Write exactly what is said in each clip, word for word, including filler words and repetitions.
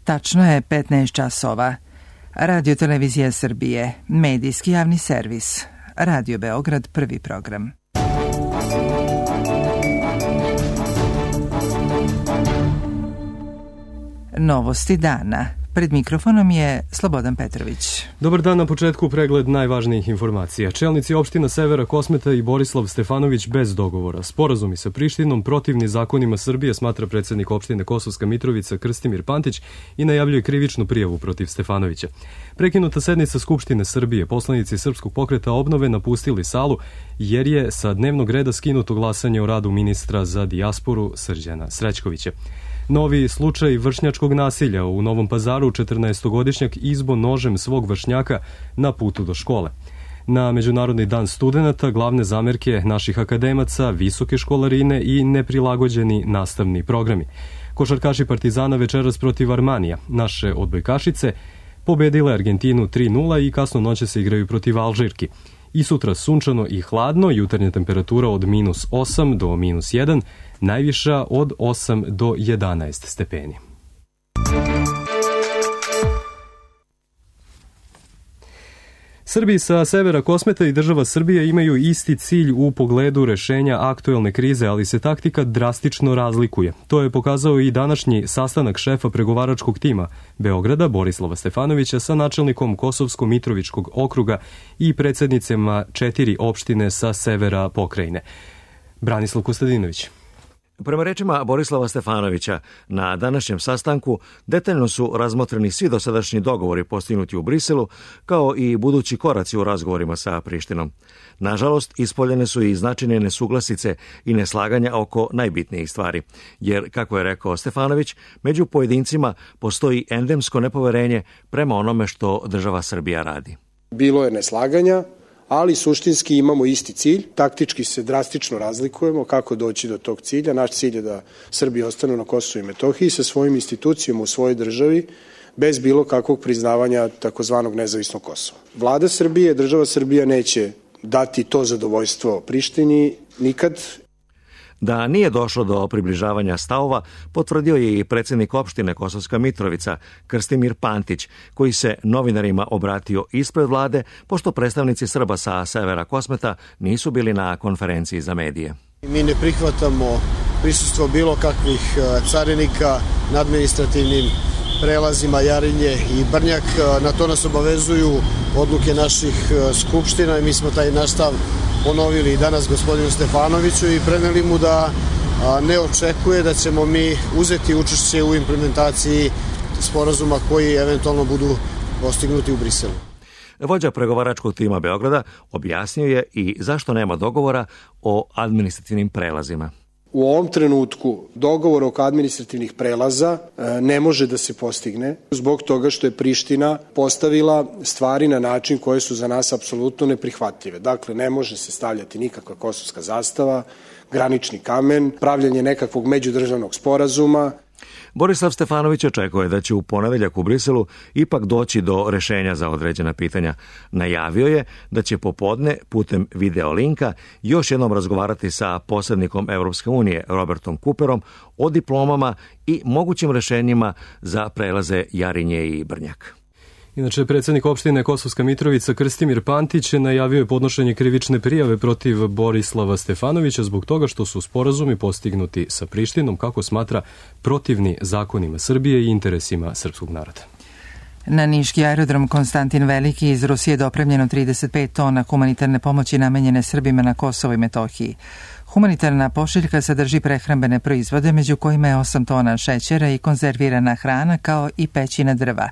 Tačno je petnaest časova. Radio Televizija Srbije, medijski javni servis. Radio Beograd, prvi program. Novosti dana. Pred mikrofonom je Slobodan Petrović. Dobar dan, na početku pregled najvažnijih informacija. Čelnici opština Severa Kosmeta i Borislav Stefanović bez dogovora. Sporazumi sa Prištinom protivni zakonima Srbije, smatra predsednik opštine Kosovska Mitrovica Krstimir Pantić i najavljuje krivičnu prijavu protiv Stefanovića. Prekinuta sednica Skupštine Srbije, poslanici Srpskog pokreta obnove napustili salu jer je sa dnevnog reda skinuto glasanje o radu ministra za dijasporu Srđana Srećkovića. Novi slučaj vršnjačkog nasilja u Novom Pazaru, četrnaestogodišnjak izbo nožem svog vršnjaka na putu do škole. Na Međunarodni dan studenata glavne zamerke naših akademaca, visoke školarine i neprilagođeni nastavni programi. Košarkaši Partizana večeras protiv Armanija. Naše odbojkašice pobedile Argentinu tri nula i kasno noće se igraju protiv Alžirki. I sutra sunčano i hladno, jutarnja temperatura od minus osam do minus jedan, najviša od osam do jedanaest stepeni. Srbi sa severa Kosmeta i država Srbija imaju isti cilj u pogledu rešenja aktuelne krize, ali se taktika drastično razlikuje. To je pokazao i današnji sastanak šefa pregovaračkog tima Beograda, Borislava Stefanovića, sa načelnikom Kosovsko-Mitrovičkog okruga i predsednicama četiri opštine sa severa pokrajine. Branislav Kostadinović. Prema rečima Borislava Stefanovića, na današnjem sastanku detaljno su razmotreni svi dosadašnji dogovori postignuti u Briselu, kao i budući koraci u razgovorima sa Prištinom. Nažalost, ispoljene su i značajne nesuglasice i neslaganja oko najbitnijih stvari, jer, kako je rekao Stefanović, među pojedincima postoji endemsko nepoverenje prema onome što država Srbija radi. Bilo je neslaganja, ali suštinski imamo isti cilj, taktički se drastično razlikujemo kako doći do tog cilja. Naš cilj je da Srbija ostane na Kosovu i Metohiji sa svojim institucijama u svojoj državi bez bilo kakvog priznavanja takozvanog nezavisnog Kosova. Vlada Srbije, država Srbija neće dati to zadovoljstvo Prištini nikad. Da nije došlo do približavanja stavova, potvrdio je i predsednik opštine Kosovska Mitrovica, Krstimir Pantić, koji se novinarima obratio ispred vlade, pošto predstavnici Srba sa severa Kosmeta nisu bili na konferenciji za medije. Mi ne prihvatamo prisustvo bilo kakvih carinika na administrativnim prelazima Jarinje i Brnjak. Na to nas obavezuju odluke naših skupština i mi smo taj naš stav ponovili i danas gospodinu Stefanoviću i preneli mu da ne očekuje da ćemo mi uzeti učešće u implementaciji sporazuma koji eventualno budu postignuti u Briselu. Vođa pregovaračkog tima Beograda objasnio je i zašto nema dogovora o administrativnim prelazima. U ovom trenutku dogovor oko administrativnih prelaza ne može da se postigne zbog toga što je Priština postavila stvari na način koje su za nas apsolutno neprihvatljive. Dakle, ne može se stavljati nikakva kosovska zastava, granični kamen, pravljanje nekakvog međudržavnog sporazuma. Borislav Stefanović očekuje da će u ponedeljak u Briselu ipak doći do rešenja za određena pitanja. Najavio je da će popodne putem video linka još jednom razgovarati sa posrednikom Evropske unije Robertom Cooperom o diplomama i mogućim rešenjima za prelaze Jarinje i Brnjak. Inače, predsednik opštine Kosovska Mitrovica Krstimir Pantić najavio je podnošenje krivične prijave protiv Borislava Stefanovića zbog toga što su sporazumi postignuti sa Prištinom, kako smatra, protivni zakonima Srbije i interesima srpskog naroda. Na niški aerodrom Konstantin Veliki iz Rusije dopremljeno trideset pet tona humanitarne pomoći namenjene Srbima na Kosovu i Metohiji. Humanitarna pošiljka sadrži prehrambene proizvode, među kojima je osam tona šećera i konzervirana hrana, kao i pećina drva.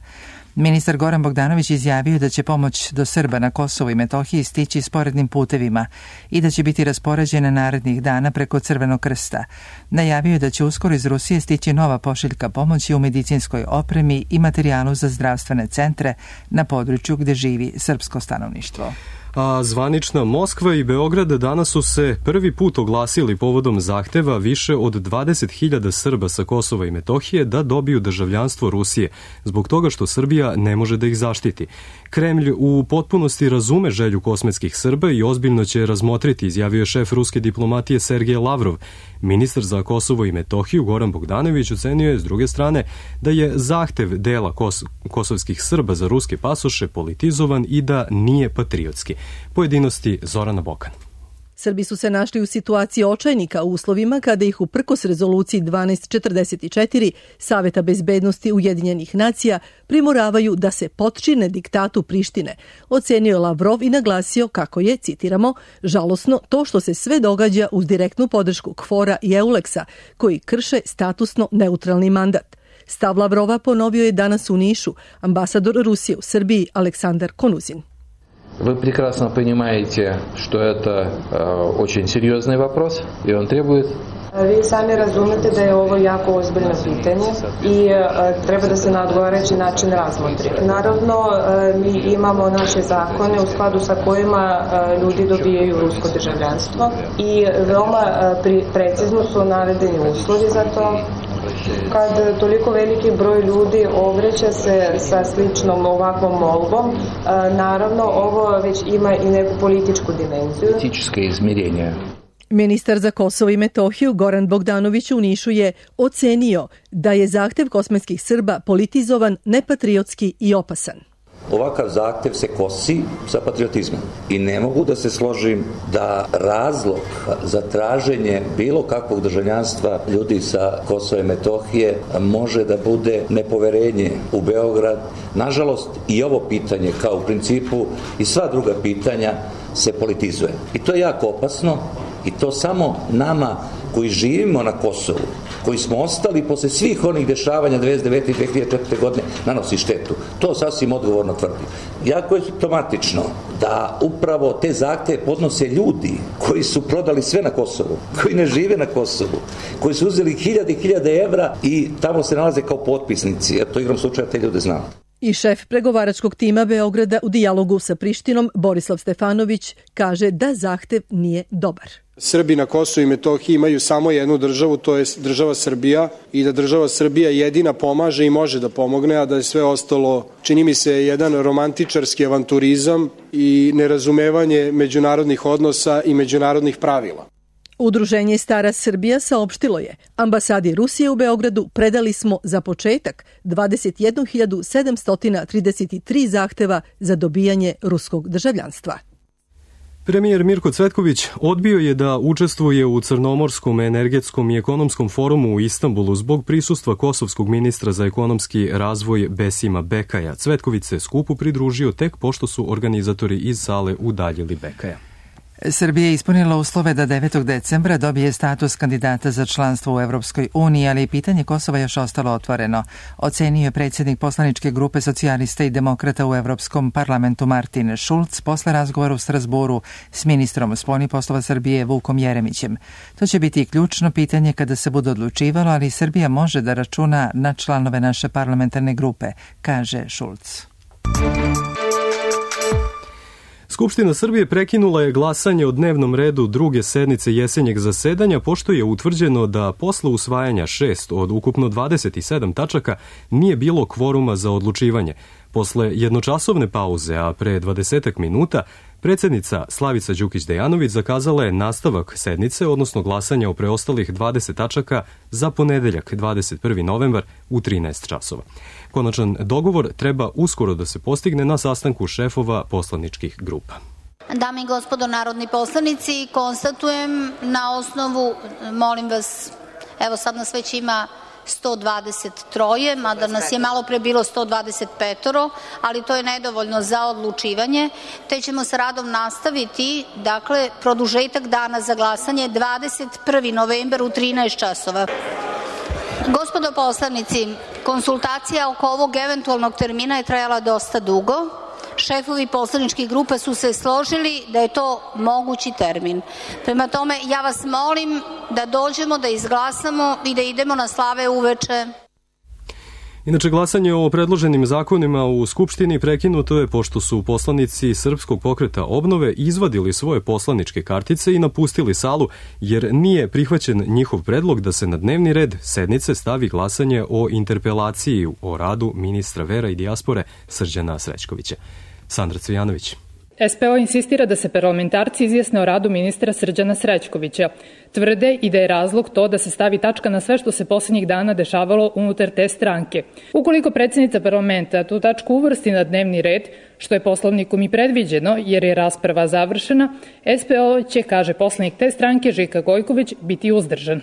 Ministar Goran Bogdanović izjavio da će pomoć do Srba na Kosovu i Metohiji stići sporednim putevima i da će biti raspoređena narednih dana preko Crvenog krsta. Najavio je da će uskoro iz Rusije stići nova pošiljka pomoći u medicinskoj opremi i materijalu za zdravstvene centre na području gde živi srpsko stanovništvo. A zvanična Moskva i Beograd danas su se prvi put oglasili povodom zahteva više od dvadeset hiljada Srba sa Kosova i Metohije da dobiju državljanstvo Rusije, zbog toga što Srbija ne može da ih zaštiti. Kremlj u potpunosti razume želju kosmetskih Srba i ozbiljno će razmotriti, izjavio je šef ruske diplomatije Sergej Lavrov. Ministar za Kosovo i Metohiju Goran Bogdanović ocenio je s druge strane da je zahtev dela kos kosovskih Srba za ruske pasoše politizovan i da nije patriotski. Pojedinosti Zorana Bokan. Srbi su se našli u situaciji očajnika u uslovima kada ih uprkos rezoluciji dvanaest četrdeset četiri Saveta bezbednosti Ujedinjenih nacija primoravaju da se potčine diktatu Prištine, ocenio je Lavrov i naglasio kako je, citiramo, žalosno to što se sve događa uz direktnu podršku KFOR-a i EULEX-a, koji krše statusno neutralni mandat. Stav Lavrova ponovio je danas u Nišu ambasador Rusije u Srbiji Aleksandar Konuzin. Вы прекрасно понимаете, что это э, очень серьезный вопрос, и он требует... Vi sami razumete da je ovo jako ozbiljno pitanje i e, treba da se na odgovarajući način razmotri. Naravno, e, mi imamo naše zakone u skladu sa kojima e, ljudi dobijaju rusko državljanstvo i veoma e, pri, precizno su navedeni uslovi za to. Kad toliko veliki broj ljudi obraća se sa sličnom ovakvom molbom, e, naravno ovo već ima i neku političku dimenziju. Političke izmjerenje. Ministar za Kosovo i Metohiju Goran Bogdanović u Nišu je ocenio da je zahtev kosmetskih Srba politizovan, nepatriotski i opasan. Ovakav zahtev se kosi sa patriotizmom i ne mogu da se složim da razlog za traženje bilo kakvog državljanstva ljudi sa Kosova i Metohije može da bude nepoverenje u Beograd. Nažalost, i ovo pitanje, kao u principu i sva druga pitanja, se politizuje. I to je jako opasno i to samo nama koji živimo na Kosovu, koji smo ostali posle svih onih dešavanja devedeset devete i dve hiljade četvrte godine, nanosi štetu. To sasvim odgovorno tvrdim. Jako je simptomatično da upravo te zahteve podnose ljudi koji su prodali sve na Kosovu, koji ne žive na Kosovu, koji su uzeli hiljade i hiljade evra i tamo se nalaze kao potpisnici. Eto, igrom slučaja te ljude znam. I šef pregovaračkog tima Beograda u dijalogu sa Prištinom Borislav Stefanović kaže da zahtev nije dobar. Srbi na Kosovu i Metohiji imaju samo jednu državu, to je država Srbija, i da država Srbija jedina pomaže i može da pomogne, a da je sve ostalo, čini mi se, jedan romantičarski avanturizam i nerazumevanje međunarodnih odnosa i međunarodnih pravila. Udruženje Stara Srbija saopštilo je, ambasadi Rusije u Beogradu predali smo za početak dvadeset jednu hiljadu sedamsto trideset tri zahteva za dobijanje ruskog državljanstva. Premijer Mirko Cvetković odbio je da učestvuje u Crnomorskom energetskom i ekonomskom forumu u Istanbulu zbog prisustva kosovskog ministra za ekonomski razvoj Besima Bekaja. Cvetković se skupu pridružio tek pošto su organizatori iz sale udaljili Bekaja. Srbija je ispunila uslove da devetog decembra dobije status kandidata za članstvo u Evropskoj uniji, ali pitanje Kosova još ostalo otvoreno. Ocenio je predsjednik poslaničke grupe socijalista i demokrata u Evropskom parlamentu Martin Schulz posle razgovora u Strasboru s ministrom spoljnih poslova Srbije Vukom Jeremićem. To će biti ključno pitanje kada se bude odlučivalo, ali Srbija može da računa na članove naše parlamentarne grupe, kaže Schulz. Skupština Srbije prekinula je glasanje o dnevnom redu druge sednice jesenjeg zasedanja, pošto je utvrđeno da posle usvajanja šest od ukupno dvadeset sedam tačaka nije bilo kvoruma za odlučivanje. Posle jednočasovne pauze, a pre dvadesetak minuta, predsjednica Slavica Đukić-Dejanović zakazala je nastavak sednice, odnosno glasanja o preostalih dvadeset tačaka za ponedeljak, dvadeset prvi novembar u trinaest časova. Konačan dogovor treba uskoro da se postigne na sastanku šefova poslaničkih grupa. Dame i gospodo narodni poslanici, konstatujem na osnovu, molim vas, evo sad nas već ima sto dvadeset tri, mada nas je malo pre bilo sto dvadeset pet, ali to je nedovoljno za odlučivanje, te ćemo sa radom nastaviti, dakle, produžetak dana za glasanje dvadeset prvi novembar u trinaest časova. Gospodo poslanici, konsultacija oko ovog eventualnog termina je trajala dosta dugo. Šefovi poslaničkih grupa su se složili da je to mogući termin. Prema tome, ja vas molim da dođemo, da izglasamo i da idemo na slave uveče. Inače, glasanje o predloženim zakonima u Skupštini prekinuto je pošto su poslanici Srpskog pokreta obnove izvadili svoje poslaničke kartice i napustili salu, jer nije prihvaćen njihov predlog da se na dnevni red sednice stavi glasanje o interpelaciji o radu ministra vera i dijaspore Srđana Srećkovića. Sandra Cvijanović. S P O insistira da se parlamentarci izjasne o radu ministra Srđana Srećkovića. Tvrde i da je razlog to da se stavi tačka na sve što se posljednjih dana dešavalo unutar te stranke. Ukoliko predsjednica parlamenta tu tačku uvrsti na dnevni red, što je poslovnikom i predviđeno jer je rasprava završena, S P O će, kaže poslanik te stranke Žika Gojković, biti uzdržan.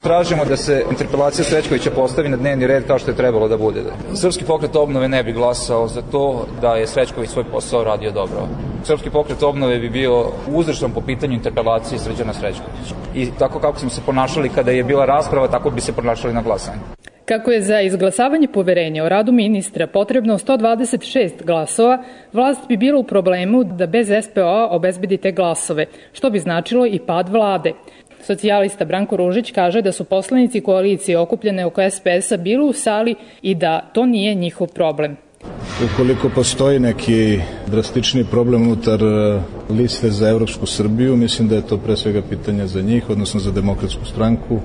Tražimo da se interpelacija Srećkovića postavi na dnevni red kao što je trebalo da bude. Srpski pokret obnove ne bi glasao za to da je Srećković svoj posao radio dobro. Srpski pokret obnove bi bio uzdržan po pitanju interpelacije Srđana Srećkovića. I tako kako smo se ponašali kada je bila rasprava, tako bi se ponašali na glasanju. Kako je za izglasavanje poverenja o radu ministra potrebno sto dvadeset šest glasova, vlast bi bila u problemu da bez S P O-a obezbedi te glasove, što bi značilo i pad vlade. Socijalista Branko Ružić kaže da su poslanici koalicije okupljene oko S P S-a bili u sali i da to nije njihov problem. Ukoliko postoji neki drastični problem unutar liste za Evropsku Srbiju, mislim da je to pre svega pitanje za njih, odnosno za Demokratsku stranku.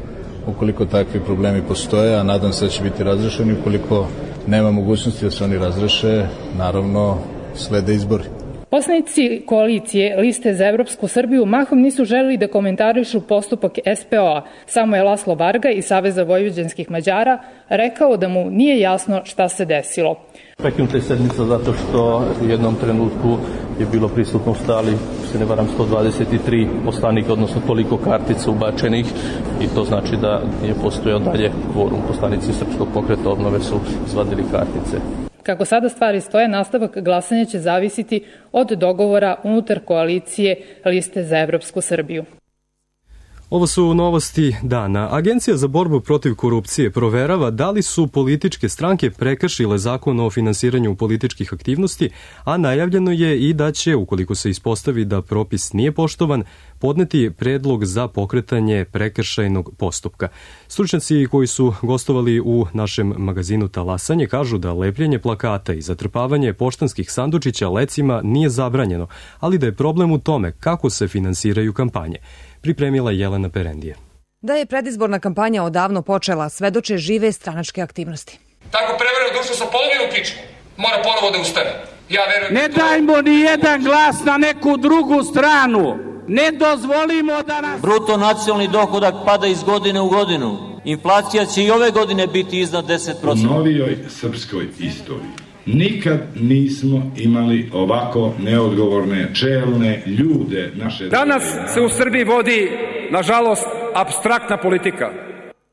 Ukoliko takvi problemi postoje, a nadam se da će biti razrešeni, ukoliko nema mogućnosti da se oni razreše, naravno slede izbori. Poslanici koalicije Liste za Evropsku Srbiju mahom nisu želeli da komentarišu postupak S P O-a. Samo je Laslo Varga iz Saveza vojvođanskih Mađara rekao da mu nije jasno šta se desilo. Prekinuta je sednica zato što u jednom trenutku je bilo prisutno u sali, se ne varam, sto dvadeset tri poslanika, odnosno toliko kartica ubačenih, i to znači da je postojao dalje kvorum. Poslanici Srpskog pokreta obnove su izvadili kartice. Kako sada stvari stoje, nastavak glasanja će zavisiti od dogovora unutar koalicije Liste za Evropsku Srbiju. Ovo su novosti dana. Agencija za borbu protiv korupcije proverava da li su političke stranke prekršile zakon o finansiranju političkih aktivnosti, a najavljeno je i da će, ukoliko se ispostavi da propis nije poštovan, podneti predlog za pokretanje prekršajnog postupka. Stručnjaci koji su gostovali u našem magazinu Talasanje kažu da lepljenje plakata i zatrpavanje poštanskih sandučića lecima nije zabranjeno, ali da je problem u tome kako se finansiraju kampanje. Pripremila Jelena Perendije. Da je predizborna kampanja odavno počela, svedoče žive stranačke aktivnosti. Tako prevreo društvo sa polovinu pičku, mora ponovo da ustane. Ja verujem. Ne dajmo ni jedan glas na neku drugu stranu. Ne dozvolimo da nas... Bruto nacionalni dohodak pada iz godine u godinu. Inflacija će i ove godine biti iznad deset posto. U novijoj srpskoj istoriji nikad nismo imali ovako neodgovorne, čelne ljude naše... Danas se u Srbiji vodi, nažalost, apstraktna politika.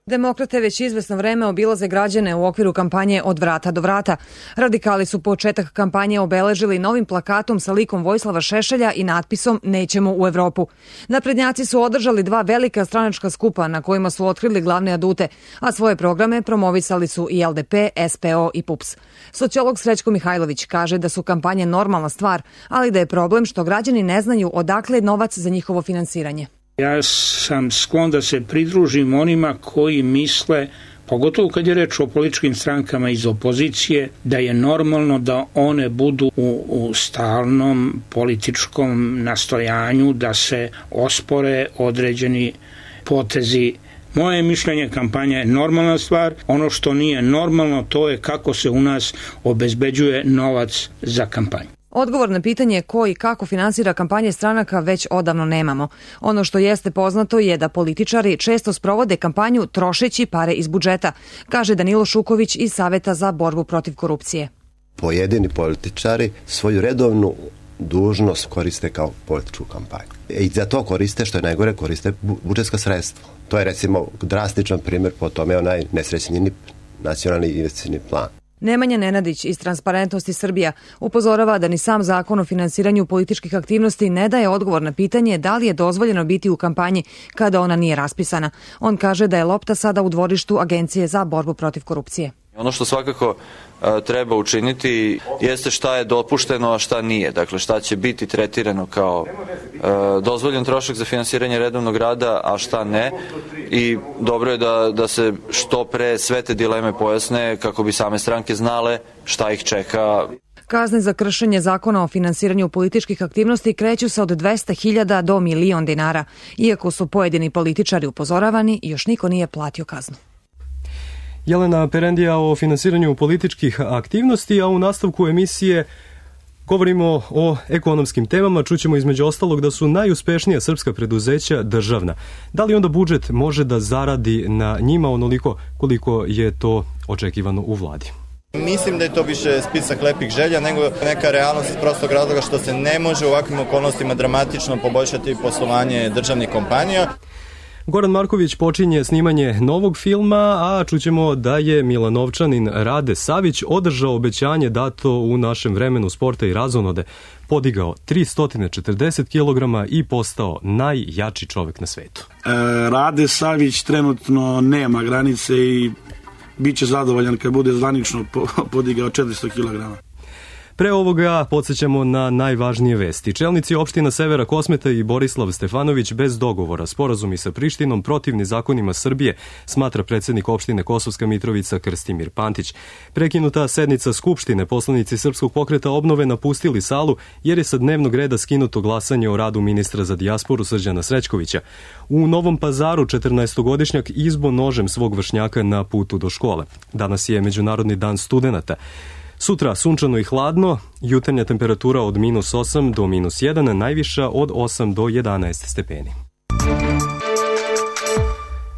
Demokrate već izvesno vreme obilaze građane u okviru kampanje Od vrata do vrata. Radikali su početak kampanje obeležili novim plakatom sa likom Vojislava Šešelja i natpisom Nećemo u Evropu. Naprednjaci su održali dva velika stranačka skupa na kojima su otkrili glavne adute, a svoje programe promovisali su i L D P, S P O i P U P S. Sociolog Srećko Mihajlović kaže da su kampanje normalna stvar, ali da je problem što građani ne znaju odakle je novac za njihovo finansiranje. Ja sam sklon da se pridružim onima koji misle, pogotovo kad je reč o političkim strankama iz opozicije, da je normalno da one budu u, u stalnom političkom nastojanju da se ospore određeni potezi. Moje mišljenje, kampanja je normalna stvar. Ono što nije normalno, to je kako se u nas obezbeđuje novac za kampanju. Odgovor na pitanje ko i kako finansira kampanje stranaka već odavno nemamo. Ono što jeste poznato je da političari često sprovode kampanju trošeći pare iz budžeta, kaže Danilo Šuković iz Saveta za borbu protiv korupcije. Pojedini političari svoju redovnu dužnost koriste kao političku kampanju. I za to koriste, što je najgore, koriste budžetska sredstva. To je recimo drastičan primjer, po tome je onaj nesrećni nacionalni investicioni plan. Nemanja Nenadić iz Transparentnosti Srbija upozorava da ni sam zakon o finansiranju političkih aktivnosti ne daje odgovor na pitanje da li je dozvoljeno biti u kampanji kada ona nije raspisana. On kaže da je lopta sada u dvorištu Agencije za borbu protiv korupcije. Ono što svakako treba učiniti jeste šta je dopušteno, a šta nije. Dakle, šta će biti tretirano kao e, dozvoljen trošak za finansiranje redovnog rada, a šta ne. I dobro je da, da se što pre sve te dileme pojasne kako bi same stranke znale šta ih čeka. Kazne za kršenje zakona o finansiranju političkih aktivnosti kreću se od dvesta hiljada do milion dinara. Iako su pojedini političari upozoravani, još niko nije platio kaznu. Jelena Perendija o finansiranju političkih aktivnosti, a u nastavku emisije govorimo o ekonomskim temama. Čućemo između ostalog da su najuspešnija srpska preduzeća državna. Da li onda budžet može da zaradi na njima onoliko koliko je to očekivano u vladi? Mislim da je to više spisak lepih želja nego neka realnost iz prostog razloga što se ne može u ovakvim okolnostima dramatično poboljšati poslovanje državnih kompanija. Goran Marković počinje snimanje novog filma, a čućemo da je Milanovčanin Rade Savić održao obećanje dato u našem vremenu sporta i razonode, podigao tristo četrdeset kilograma i postao najjači čovek na svetu. E, Rade Savić trenutno nema granice i bit će zadovoljan kad bude zvanično podigao četiristo kilograma. Pre ovoga podsjećamo na najvažnije vesti. Čelnici opština Severa Kosmeta i Borislav Stefanović bez dogovora. Sporazumi sa Prištinom protivni zakonima Srbije, smatra predsjednik opštine Kosovska Mitrovica Krstimir Pantić. Prekinuta sednica Skupštine, poslanici Srpskog pokreta obnove napustili salu jer je sa dnevnog reda skinuto glasanje o radu ministra za dijasporu Srđana Srećkovića. U Novom Pazaru četrnaestogodišnjak izbo nožem svog vršnjaka na putu do škole. Danas je Međunarodni dan studenata. Sutra sunčano i hladno, jutarnja temperatura od minus osam do minus jedan, najviša od osam do jedanaest stepeni.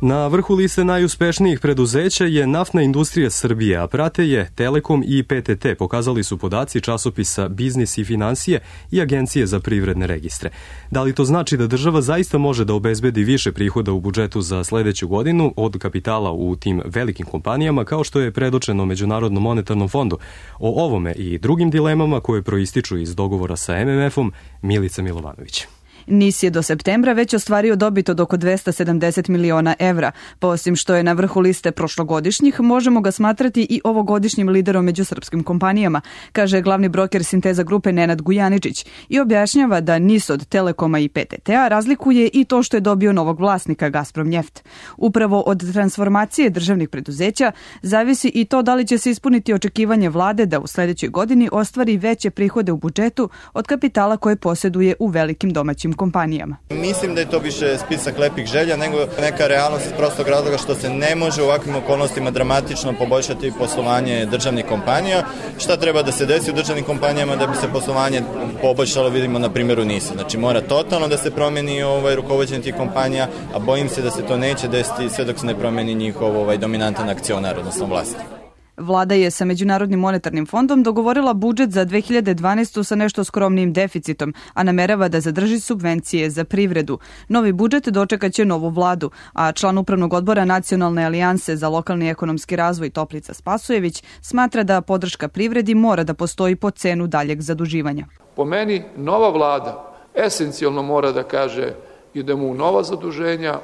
Na vrhu liste najuspešnijih preduzeća je naftna industrija Srbije, a prate je Telekom i P T T, pokazali su podaci časopisa Biznis i finansije i Agencije za privredne registre. Da li to znači da država zaista može da obezbedi više prihoda u budžetu za sledeću godinu od kapitala u tim velikim kompanijama, kao što je predočeno Međunarodnom monetarnom fondu? O ovome i drugim dilemama koje proističu iz dogovora sa M M F-om, Milica Milovanović. N I S je do septembra već ostvario dobit od oko dvesta sedamdeset miliona evra. Pa osim što je na vrhu liste prošlogodišnjih, možemo ga smatrati i ovogodišnjim liderom među srpskim kompanijama, kaže glavni broker Sinteza grupe Nenad Gujaničić i objašnjava da N I S od Telekoma i P T T-a razlikuje i to što je dobio novog vlasnika Gazprom Njeft. Upravo od transformacije državnih preduzeća zavisi i to da li će se ispuniti očekivanje vlade da u sledećoj godini ostvari veće prihode u budžetu od kapitala koje posjeduje u velikim domaćim kompanijama. Mislim da je to više spisak lepih želja nego neka realnost iz prostog razloga što se ne može u ovakvim okolnostima dramatično poboljšati poslovanje državnih kompanija. Šta treba da se desi u državnim kompanijama da bi se poslovanje poboljšalo, vidimo na primjeru N I S-a. Znači mora totalno da se promeni ovaj, rukovođenje tih kompanija, a bojim se da se to neće desiti sve dok se ne promeni njihov ovaj, dominantan akcionar, odnosno vlasnik. Vlada je sa Međunarodnim monetarnim fondom dogovorila budžet za dve hiljade dvanaestu sa nešto skromnim deficitom, a namerava da zadrži subvencije za privredu. Novi budžet dočekaće novu vladu, a član upravnog odbora Nacionalne alijanse za lokalni ekonomski razvoj Toplica Spasojević smatra da podrška privredi mora da postoji po cenu daljeg zaduživanja. Po meni, nova vlada esencijalno mora da kaže idemo u nova zaduženja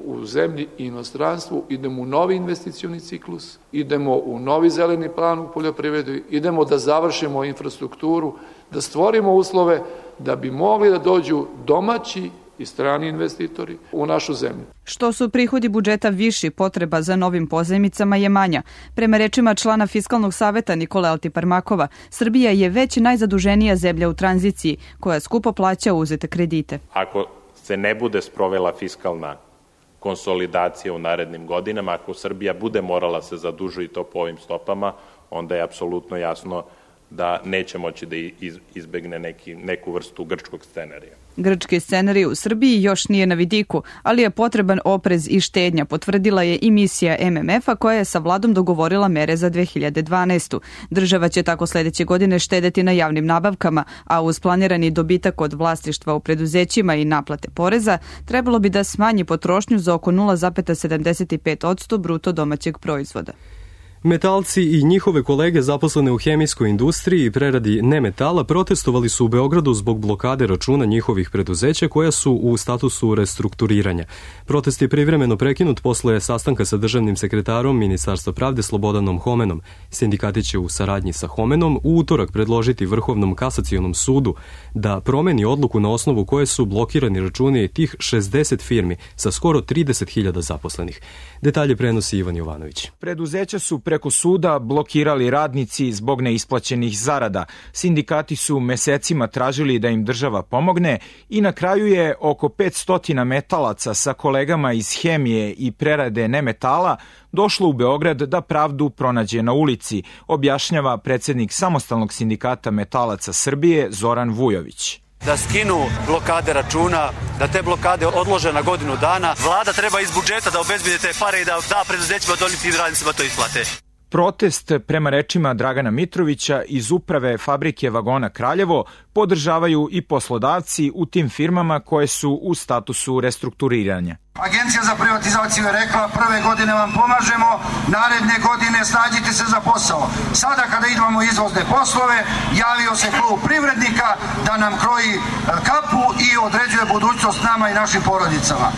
u zemlji i inostranstvu, idemo u novi investicioni ciklus, idemo u novi zeleni plan u poljoprivredi, idemo da završimo infrastrukturu, da stvorimo uslove da bi mogli da dođu domaći i strani investitori u našu zemlju. Što su prihodi budžeta viši, potreba za novim pozajmicama je manja. Prema rečima člana Fiskalnog saveta Nikole Altiparmakova, Srbija je već najzaduženija zemlja u tranziciji, koja skupo plaća uzete kredite. Ako se ne bude sprovela fiskalna konsolidacija u narednim godinama, ako Srbija bude morala se zadužiti to po ovim stopama, onda je apsolutno jasno da neće moći da izbegne neki, neku vrstu grčkog scenarija. Grčki scenarij u Srbiji još nije na vidiku, ali je potreban oprez i štednja, potvrdila je i misija M M F-a koja je sa vladom dogovorila mere za dve hiljade dvanaestu. Država će tako sledeće godine štedeti na javnim nabavkama, a uz planirani dobitak od vlasništva u preduzećima i naplate poreza, trebalo bi da smanji potrošnju za oko nula zarez sedamdeset pet posto bruto domaćeg proizvoda. Metalci i njihove kolege zaposlene u hemijskoj industriji i preradi nemetala protestovali su u Beogradu zbog blokade računa njihovih preduzeća koja su u statusu restrukturiranja. Protest je privremeno prekinut posle sastanka sa državnim sekretarom Ministarstva pravde Slobodanom Homenom. Sindikati će u saradnji sa Homenom u utorak predložiti Vrhovnom kasacionom sudu da promeni odluku na osnovu koje su blokirani računi tih šezdeset firmi sa skoro trideset hiljada zaposlenih. Detalje prenosi Ivan Jovanović. Preduzeća su preko suda blokirali radnici zbog neisplaćenih zarada. Sindikati su mesecima tražili da im država pomogne i na kraju je oko petsto metalaca sa kolegama iz hemije i prerade nemetala došlo u Beograd da pravdu pronađe na ulici, objašnjava predsednik Samostalnog sindikata metalaca Srbije Zoran Vujović. Da skinu blokade računa, da te blokade odlože na godinu dana. Vlada treba iz budžeta da obezbedi te pare i da da preduzećima da oni tim radnicima to isplate. Protest, prema rečima Dragana Mitrovića iz uprave fabrike vagona Kraljevo, podržavaju i poslodavci u tim firmama koje su u statusu restrukturiranja. Agencija za privatizaciju je rekla prve godine vam pomažemo, naredne godine snađite se za posao. Sada kada idemo izvozne poslove, javio se klub privrednika da nam kroji kapu i određuje budućnost nama i našim porodicama.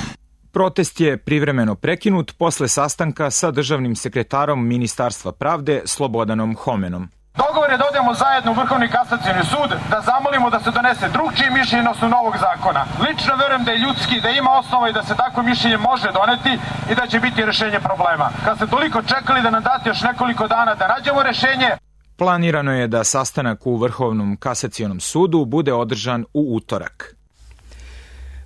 Protest je privremeno prekinut posle sastanka sa državnim sekretarom Ministarstva pravde Slobodanom Homenom. Dogovor je da odemo zajedno u Vrhovni kasacioni sud, da zamolimo da se donese drugčije mišljenje na osnovu novog zakona. Lično verujem da je ljudski, da ima osnova i da se takvo mišljenje može doneti i da će biti rešenje problema. Kad ste toliko čekali da nam date još nekoliko dana da nađemo rešenje. Planirano je da sastanak u Vrhovnom kasacionom sudu bude održan u utorak.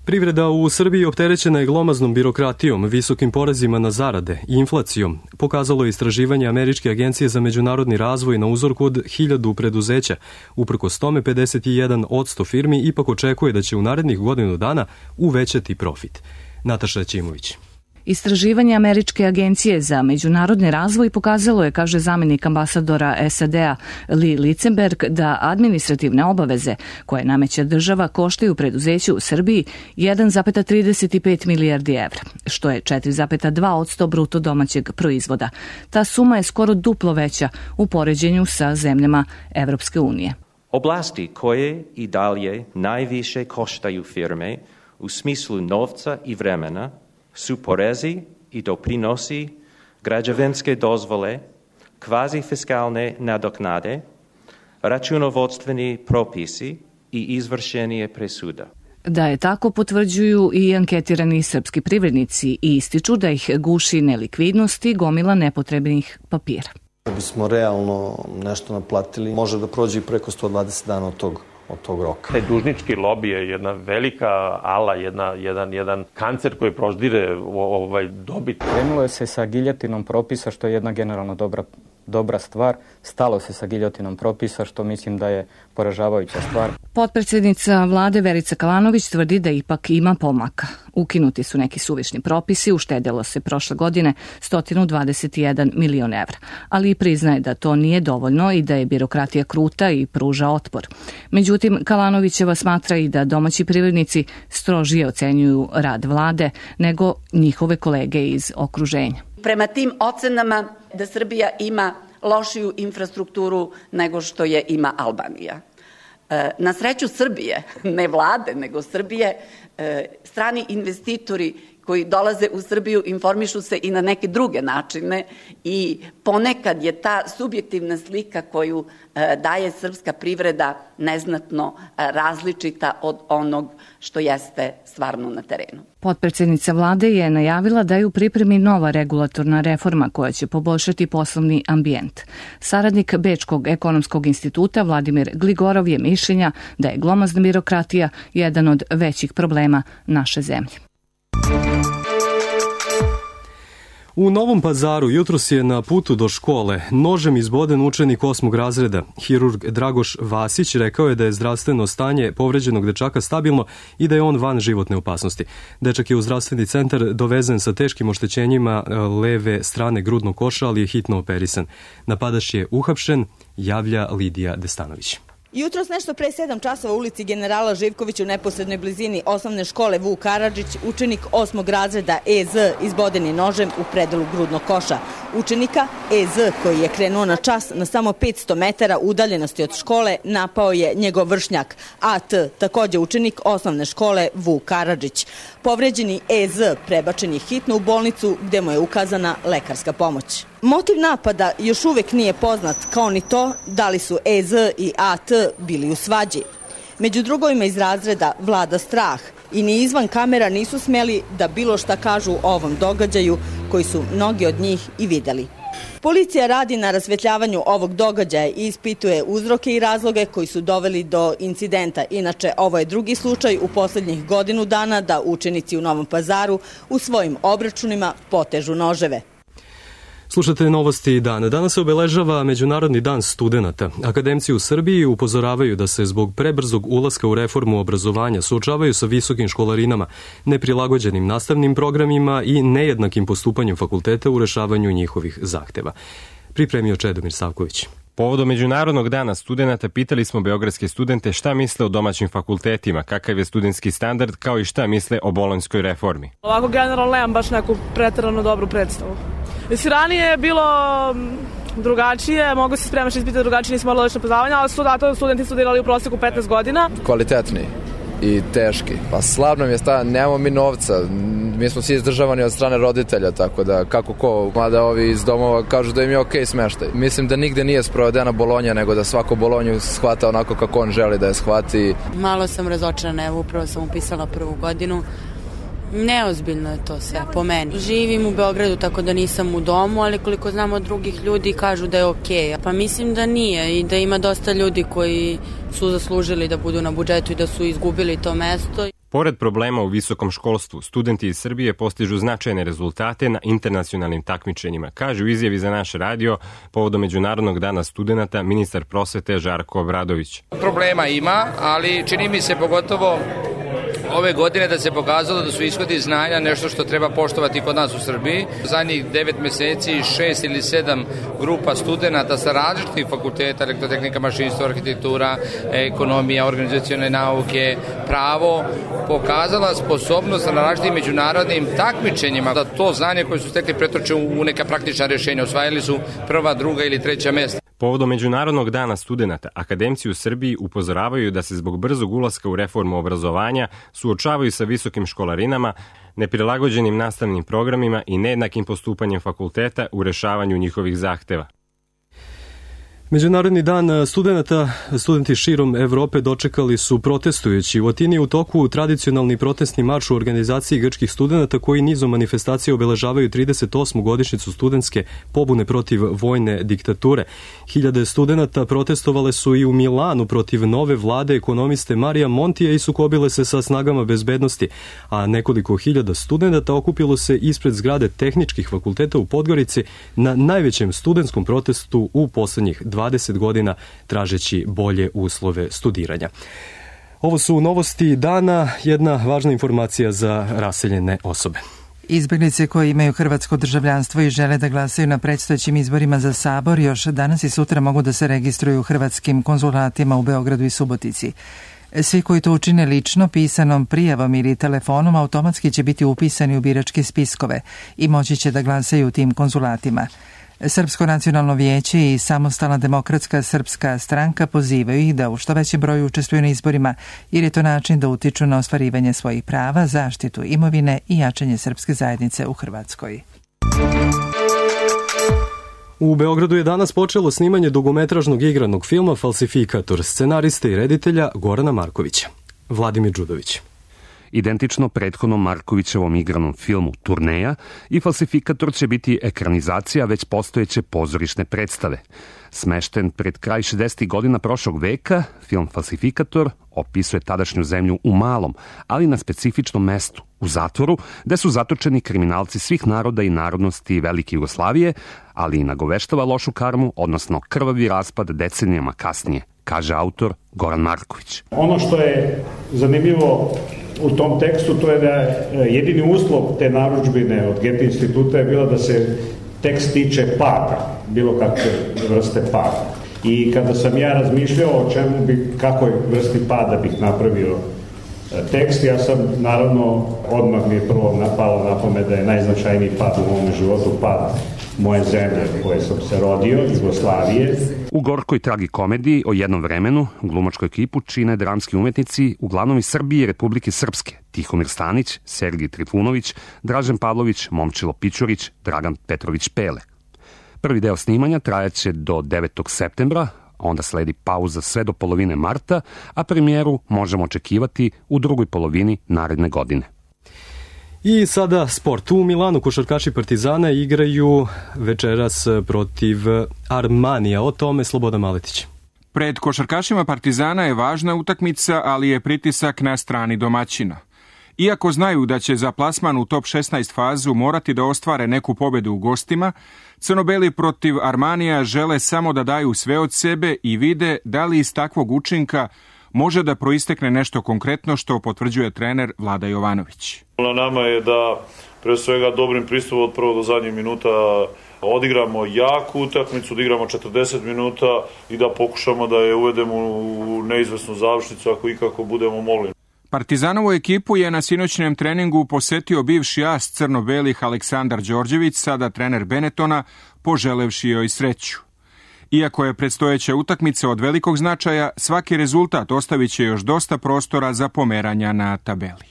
Privreda u Srbiji opterećena je glomaznom birokratijom, visokim porezima na zarade i inflacijom, pokazalo je istraživanje Američke agencije za međunarodni razvoj na uzorku od hiljadu preduzeća. Uprkos tome, pedeset jedan posto firmi ipak očekuje da će u narednih godinu dana uvećati profit. Nataša Ćimović. Istraživanje Američke agencije za međunarodni razvoj pokazalo je, kaže zamenik ambasadora S A D-a Lee Litzenberg, da administrativne obaveze koje nameće država koštaju preduzeću u Srbiji jedan zarez trideset pet milijardi evra, što je četiri zarez dva posto bruto domaćeg proizvoda. Ta suma je skoro duplo veća u poređenju sa zemljama Evropske unije. Oblasti koje i dalje najviše koštaju firme u smislu novca i vremena su porezi i doprinosi, građevinske dozvole, kvazifiskalne nadoknade, računovodstveni propisi i izvršenje presuda. Da je tako potvrđuju i anketirani srpski privrednici i ističu da ih guši nelikvidnost i gomila nepotrebnih papira. Da bismo realno nešto naplatili, može da prođe i preko sto dvadeset dana od tog od tog roka. Taj dužnički lobi je jedna velika ala, jedna, jedan, jedan kancer koji proždire ovaj dobit. Krenulo je se sa giljotinom propisa, što je jedna generalno dobra, dobra stvar. Stalo se sa giljotinom propisa, što mislim da je poražavajuća stvar. Potpredsjednica vlade Verica Kalanović tvrdi da ipak ima pomaka. Ukinuti su neki suvišni propisi, uštedjelo se prošle godine sto dvadeset jedan milion evra, ali i priznaje da to nije dovoljno i da je birokratija kruta i pruža otpor. Međutim, Kalanovićeva smatra i da domaći privrednici strožije ocenjuju rad vlade nego njihove kolege iz okruženja. Prema tim ocenama da Srbija ima lošiju infrastrukturu nego što je ima Albanija. Na sreću Srbije, ne vlade, nego Srbije, strani investitori koji dolaze u Srbiju informišu se i na neke druge načine i ponekad je ta subjektivna slika koju daje srpska privreda neznatno različita od onog što jeste stvarno na terenu. Potpredsjednica vlade je najavila da je u pripremi nova regulatorna reforma koja će poboljšati poslovni ambijent. Saradnik Bečkog ekonomskog instituta Vladimir Gligorov je mišljenja da je glomazna birokratija jedan od većih problema naše zemlje. U Novom Pazaru jutros je na putu do škole nožem izboden učenik osmog razreda. Hirurg Dragoš Vasić rekao je da je zdravstveno stanje povređenog dečaka stabilno i da je on van životne opasnosti. Dečak je u zdravstveni centar dovezen sa teškim oštećenjima leve strane grudnog koša, ali je hitno operisan. Napadač je uhapšen, javlja Lidija Destanović. Jutros nešto pre sedam časova u ulici generala Živkovića u neposrednoj blizini osnovne škole Vuk Karadžić, učenik osmog razreda E Z izboden je nožem u predelu grudnog koša. Učenika E Z koji je krenuo na čas na samo petsto metara udaljenosti od škole napao je njegov vršnjak A T, takođe učenik osnovne škole Vuk Karadžić. Povređeni E Z prebačen je hitno u bolnicu gde mu je ukazana lekarska pomoć. Motiv napada još uvek nije poznat, kao ni to da li su E Z i A T bili u svađi. Među drugovima iz razreda vlada strah i ni izvan kamera nisu smeli da bilo šta kažu o ovom događaju koji su mnogi od njih i videli. Policija radi na rasvetljavanju ovog događaja i ispituje uzroke i razloge koji su doveli do incidenta. Inače, ovo je drugi slučaj u poslednjih godinu dana da učenici u Novom Pazaru u svojim obračunima potežu noževe. Slušate novosti dana. Danas se obeležava Međunarodni dan studenata. Akademci u Srbiji upozoravaju da se zbog prebrzog ulaska u reformu obrazovanja suočavaju sa visokim školarinama, neprilagođenim nastavnim programima i nejednakim postupanjem fakulteta u rešavanju njihovih zahteva. Pripremio Čedomir Savković. Povodom Međunarodnog dana studenata pitali smo beogradske studente šta misle o domaćim fakultetima, kakav je studentski standard, kao i šta misle o bolonjskoj reformi. Ovako generalno nemam baš neku preterano dobru predstavu. Mislim, ranije je bilo drugačije, mogu se spremaš ispita drugačije, nismo morali lično poznavanja, ali su zato studenti studirali u proseku petnaest godina. Kvalitetni i teški. Pa slab nam je sta, nemamo mi novca, mi smo svi izdržavani od strane roditelja, tako da kako ko, mada ovi iz domova kažu da im je okej smeštaj. Mislim da nigde nije sprovedena Bolonja, nego da svako Bolonju shvata onako kako on želi da je shvati. Malo sam razočarana, evo upravo sam upisala prvu godinu. Neozbiljno je to sve, po meni. Živim u Beogradu, tako da nisam u domu, ali koliko znam od drugih ljudi kažu da je okej. Pa mislim da nije i da ima dosta ljudi koji su zaslužili da budu na budžetu i da su izgubili to mesto. Pored problema u visokom školstvu, studenti iz Srbije postižu značajne rezultate na internacionalnim takmičenjima, kaže u izjavi za naš radio povodom Međunarodnog dana studenata ministar prosvete Žarko Obradović. Problema ima, ali čini mi se pogotovo ove godine da se pokazalo da su ishodi znanja nešto što treba poštovati kod nas u Srbiji. Zadnjih devet meseci šest ili sedam grupa studenta sa različitih fakulteta, elektrotehnika, mašinstvo, arhitektura, ekonomija, organizacione nauke, pravo, pokazala sposobnost na različitim međunarodnim takmičenjima da to znanje koje su stekli pretoče u neka praktična rješenja. Osvajali su prva, druga ili treća mesta. Povodom Međunarodnog dana studenata, akademci u Srbiji upozoravaju da se zbog brzog ulaska u reformu obrazovanja suočavaju sa visokim školarinama, neprilagođenim nastavnim programima i nejednakim postupanjem fakulteta u rešavanju njihovih zahteva. Međunarodni dan studenata, studenti širom Evrope dočekali su protestujući. U Atini je u toku tradicionalni protestni marš u organizaciji grčkih studenata koji nizom manifestacije obeležavaju trideset osmu godišnjicu studentske pobune protiv vojne diktature. Hiljade studenata protestovale su i u Milanu protiv nove vlade ekonomiste Marija Montija i sukobile se sa snagama bezbednosti, a nekoliko hiljada studenata okupilo se ispred zgrade tehničkih fakulteta u Podgorici na najvećem studentskom protestu u poslednjih dvadeset godina, tražeći bolje uslove studiranja. Ovo su novosti dana, jedna važna informacija za raseljene osobe. Izbeglice koji imaju hrvatsko državljanstvo i žele da glasaju na predstojećim izborima za Sabor još danas i sutra mogu da se registruju u hrvatskim konzulatima u Beogradu i Subotici. Svi koji to učine lično, pisanom prijavom ili telefonom automatski će biti upisani u biračke spiskove i moći će da glasaju u tim konzulatima. Srpsko nacionalno vijeće i Samostalna demokratska srpska stranka pozivaju ih da u što većem broju učestvuju na izborima, jer je to način da utiču na ostvarivanje svojih prava, zaštitu imovine i jačanje srpske zajednice u Hrvatskoj. U Beogradu je danas počelo snimanje dugometražnog igranog filma Falsifikator, scenariste i reditelja Gorana Markovića. Vladimir Đudović. Identično prethodnom Markovićevom igranom filmu Turneja i Falsifikator će biti ekranizacija već postojeće pozorišne predstave. Smešten pred kraj šezdesetih godina prošlog veka, film Falsifikator opisuje tadašnju zemlju u malom, ali na specifičnom mestu, u zatvoru, gde su zatočeni kriminalci svih naroda i narodnosti Velike Jugoslavije, ali i nagoveštava lošu karmu, odnosno krvavi raspad decenijama kasnije, kaže autor Goran Marković. Ono što je zanimljivo u tom tekstu, to je da jedini uslov te narudžbine od Goethe instituta je bilo da se tekst tiče pada, bilo kakve vrste pada. I kada sam ja razmišljao o čemu bi, kakoj vrsti pada bih napravio tekst. Ja sam, naravno, odmah mi je prvo napalo na pamet da je najznačajniji pad u mom životu pad moje zemlje u kojoj sam se rodio, Jugoslavije. U gorkoj tragikomediji o jednom vremenu glumačku ekipu čine dramski umetnici uglavnom iz Srbije i Republike Srpske: Tihomir Stanić, Sergij Trifunović, Dražen Pavlović, Momčilo Pičurić, Dragan Petrović Pele. Prvi deo snimanja trajaće do devetog septembra, onda sledi pauza sve do polovine marta, a premijeru možemo očekivati u drugoj polovini naredne godine. I sada sport. U Milanu košarkaši Partizana igraju večeras protiv Armanija. O tome Slobodan Maletić. Pred košarkašima Partizana je važna utakmica, ali je pritisak na strani domaćina. Iako znaju da će za plasman u top šesnaest fazu morati da ostvare neku pobedu u gostima, crnobeli protiv Armanija žele samo da daju sve od sebe i vide da li iz takvog učinka može da proistekne nešto konkretno, što potvrđuje trener Vlada Jovanović. Na nama je da pre svega dobrim pristupom od prvog do zadnjeg minuta odigramo jaku utakmicu, da igramo četrdeset minuta i da pokušamo da je uvedemo u neizvesnu završnicu ako ikako budemo mogli. Partizanovu ekipu je na sinoćnem treningu posetio bivši as crno-belih Aleksandar Đorđević, sada trener Benetona, poželevši joj sreću. Iako je predstojeća utakmica od velikog značaja, svaki rezultat ostavit će još dosta prostora za pomeranja na tabeli.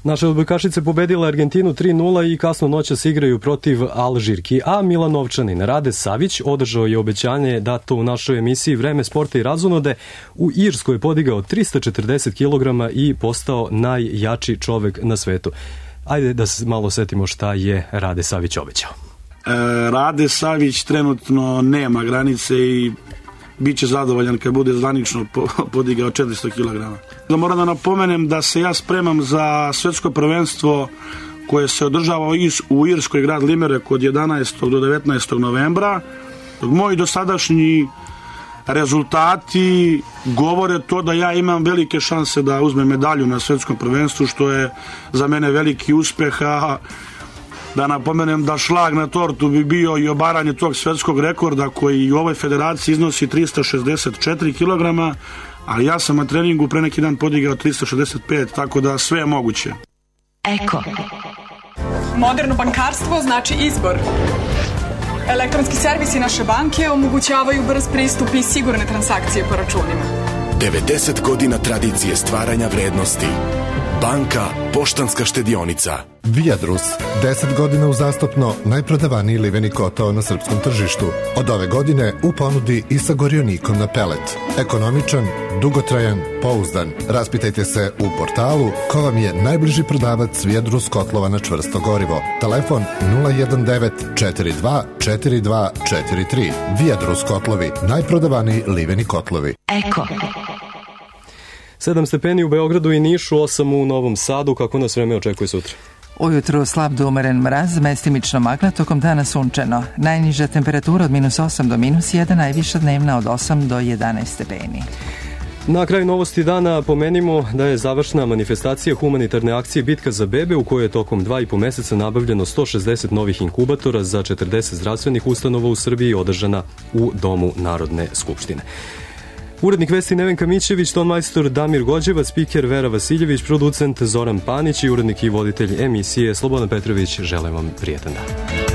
Naše odbojkašice pobedile Argentinu tri nula i kasno noćas igraju protiv Alžirki, a Milanovčanin Rade Savić održao je obećanje dato u našoj emisiji Vreme sporta i razonode. U Irskoj je podigao trista četrdeset kilograma i postao najjači čovek na svetu. Ajde da se malo setimo šta je Rade Savić obećao. E, Rade Savić trenutno nema granice i bit će zadovoljan kad bude zvanično podigao četiristo kilograma. Da moram da napomenem da se ja spremam za svetsko prvenstvo koje se održava u Irskoj, grad Limerick, od jedanaestog do devetnaestog novembra. Moji dosadašnji rezultati govore to da ja imam velike šanse da uzmem medalju na svetskom prvenstvu, što je za mene veliki uspeh. A da napomenem da šlag na tortu bi bio i obaranje tog svetskog rekorda koji u ovoj federaciji iznosi trista šezdeset četiri kilograma, a ja sam na treningu pre neki dan podigao trista šezdeset pet, tako da sve je moguće. Eko. Moderno bankarstvo znači izbor. Elektronski servisi naše banke omogućavaju brz pristup i sigurne transakcije po računima. devedeset godina tradicije stvaranja vrednosti. Banka Poštanska štedionica. Viadrus, deset godina uzastopno najprodavaniji liveni kotao na srpskom tržištu. Od ove godine u ponudi i sa gorionikom na pelet. Ekonomičan, dugotrajan, pouzdan. Raspitajte se u portalu ko vam je najbliži prodavac Viadrus kotlova na čvrsto gorivo. Telefon nula jedan devet četiri dva četiri dva četiri tri. Viadrus kotlovi, najprodavaniji liveni kotlovi. Eko. Sedam stepeni u Beogradu i Nišu, osam u Novom Sadu. Kako nas vreme očekuje sutra? Ujutru slab do umeren mraz, mestimično magla, tokom dana sunčano. Najniža temperatura od minus osam do minus jedan, najviša dnevna od osam do jedanaest stepeni. Na kraju novosti dana pomenimo da je završna manifestacija humanitarne akcije Bitka za bebe, u kojoj je tokom dva i po meseca nabavljeno sto šezdeset novih inkubatora za četrdeset zdravstvenih ustanova u Srbiji, održana u Domu Narodne skupštine. Urednik vesti Nevenka Mićević, tonmajstor Damir Gođevac, spiker Vera Vasiljević, producent Zoran Panić i urednik i voditelj emisije Slobodan Petrović. Želim vam prijetan dan.